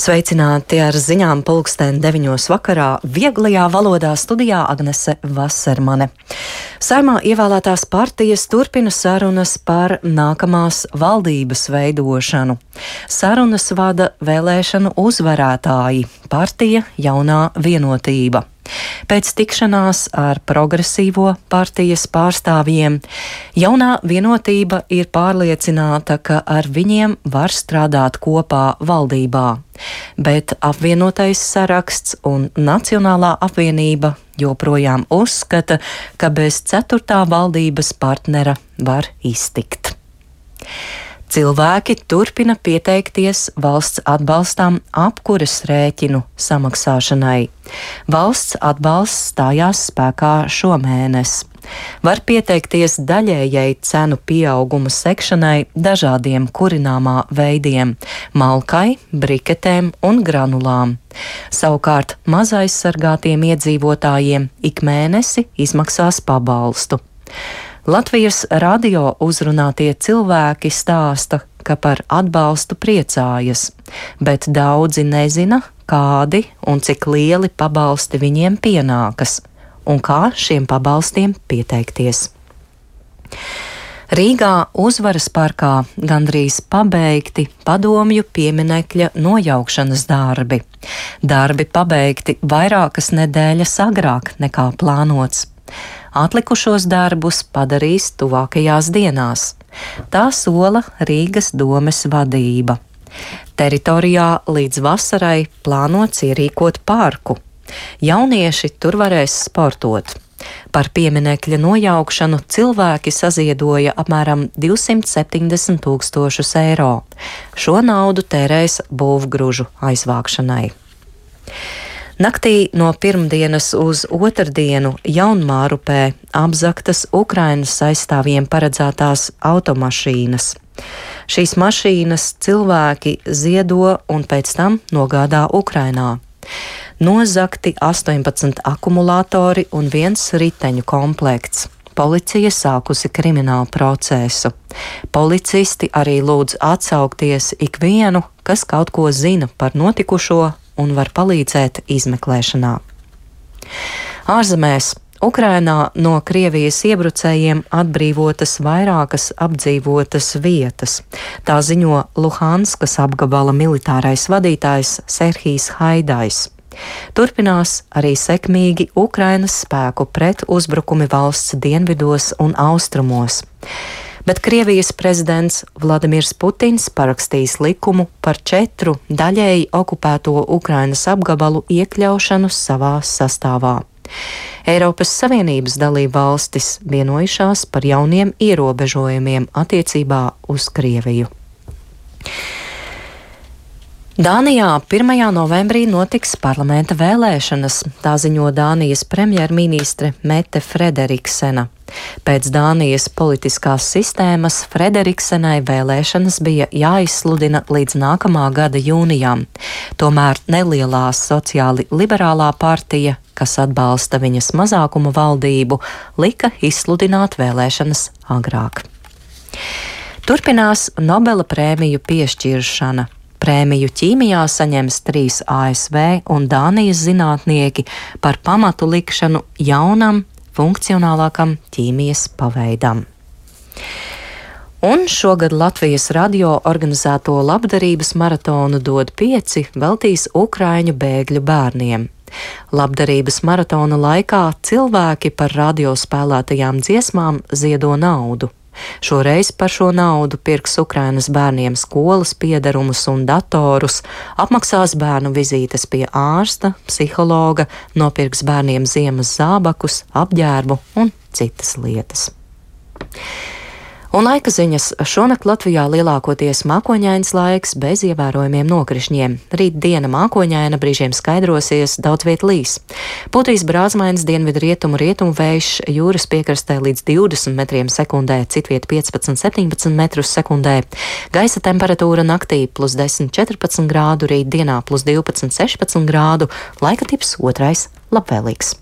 Sveicināti ar ziņām pulksten 9 vakarā. Vieglajā valodā studijā Agnese Vasermane. Saeimā ievēlētās partijas turpina sarunas par nākamās valdības veidošanu. Sarunas vada vēlēšanu uzvarētāji - partija Jaunā Vienotība. Pēc tikšanās ar progresīvo partijas pārstāvjiem Jaunā Vienotība ir pārliecināta, ka ar viņiem var strādāt kopā valdībā, bet apvienotais saraksts un Nacionālā apvienība joprojām uzskata, ka bez 4. valdības partnera var iztikt. Cilvēki turpina pieteikties valsts atbalstam apkures rēķinu samaksāšanai. Valsts atbalsts stājās spēkā šomēnes. Var pieteikties daļējai cenu pieauguma sekšanai dažādiem kurināmā veidiem - malkai, briketēm un granulām. Savukārt mazaizsargātiem iedzīvotājiem ik mēnesi izmaksās pabalstu. Latvijas radio uzrunātie cilvēki stāsta, ka par atbalstu priecājas, bet daudzi nezina, kādi un cik lieli pabalsti viņiem pienākas un kā šiem pabalstiem pieteikties. Rīgā Uzvaras parkā gandrīz pabeigti padomju pieminekļa nojaukšanas darbi. Darbi pabeigti vairākas nedēļas agrāk nekā plānots. Atlikušos darbus padarīs tuvākajās dienās. Tā sola Rīgas domes vadība. Teritorijā līdz vasarai plānots ierīkot parku. Jaunieši tur varēs sportot. Par pieminekļa nojaukšanu cilvēki saziedoja apmēram 270 000 eiro. Šo naudu tērēs būvgružu aizvākšanai. Naktī no pirmdienas uz otrdienu Jaunmārupē apzagtas Ukrainas aizstāvjiem paredzētās automašīnas. Šīs mašīnas cilvēki ziedo un pēc tam nogādā Ukrainā. Nozagti 18 akumulātori un 1 riteņu komplekts. Policija sākusi kriminālu procesu. Policisti arī lūdz atsaukties ikvienu, kas kaut ko zina par notikušo un var palīdzēt izmeklēšanā. Ārzemēs Ukrainā no Krievijas iebrucējiem atbrīvotas vairākas apdzīvotas vietas. Tā ziņo Luhanskas apgabala militārais vadītājs Serhijs Haidajs. Turpinās arī sekmīgi Ukrainas spēku pret uzbrukumi valsts dienvidos un austrumos. Bet Krievijas prezidents Vladimirs Putins parakstīs likumu par 4 daļēji okupēto Ukrainas apgabalu iekļaušanu savā sastāvā. Eiropas Savienības dalība valstis vienojušās par jauniem ierobežojumiem attiecībā uz Krieviju. Dānijā 1. novembrī notiks parlamenta vēlēšanas, tā ziņo Dānijas premjerministre Mette Frederiksena. Pēc Dānijas politiskās sistēmas Frederiksenai vēlēšanas bija jāizsludina līdz nākamā gada jūnijam. Tomēr nelielā sociāli liberālā partija, kas atbalsta viņas mazākuma valdību, lika izsludināt vēlēšanas agrāk. Turpinās Nobela prēmiju piešķiršana. Prēmiju ķīmijā saņems 3 ASV un Dānijas zinātnieki par pamatu likšanu jaunam, funkcionālākam ķīmijas paveidam. Un šogad Latvijas radio organizēto labdarības maratonu Dod 5 veltīs ukraiņu bēgļu bērniem. Labdarības maratona laikā cilvēki par radio spēlētajām dziesmām ziedo naudu. Šoreiz par šo naudu pirks Ukrainas bērniem skolas piederumus un datorus, apmaksās bērnu vizītes pie ārsta, psihologa, nopirks bērniem ziemas zābakus, apģērbu un citas lietas. Un laika ziņas. Šonakt Latvijā lielākoties mākoņains laiks bez ievērojumiem nokrišņiem. Rīt diena mākoņaina, brīžiem skaidrosies, daudz viet līs. Putīs brāzmainis dienvidu rietumu vējš, jūras piekrastē līdz 20 metriem sekundē, citviet 15–17 metrus sekundē. Gaisa temperatūra naktī +10–14 grādu, rīt dienā +12–16 grādu, laika tips otrais labvēlīgs.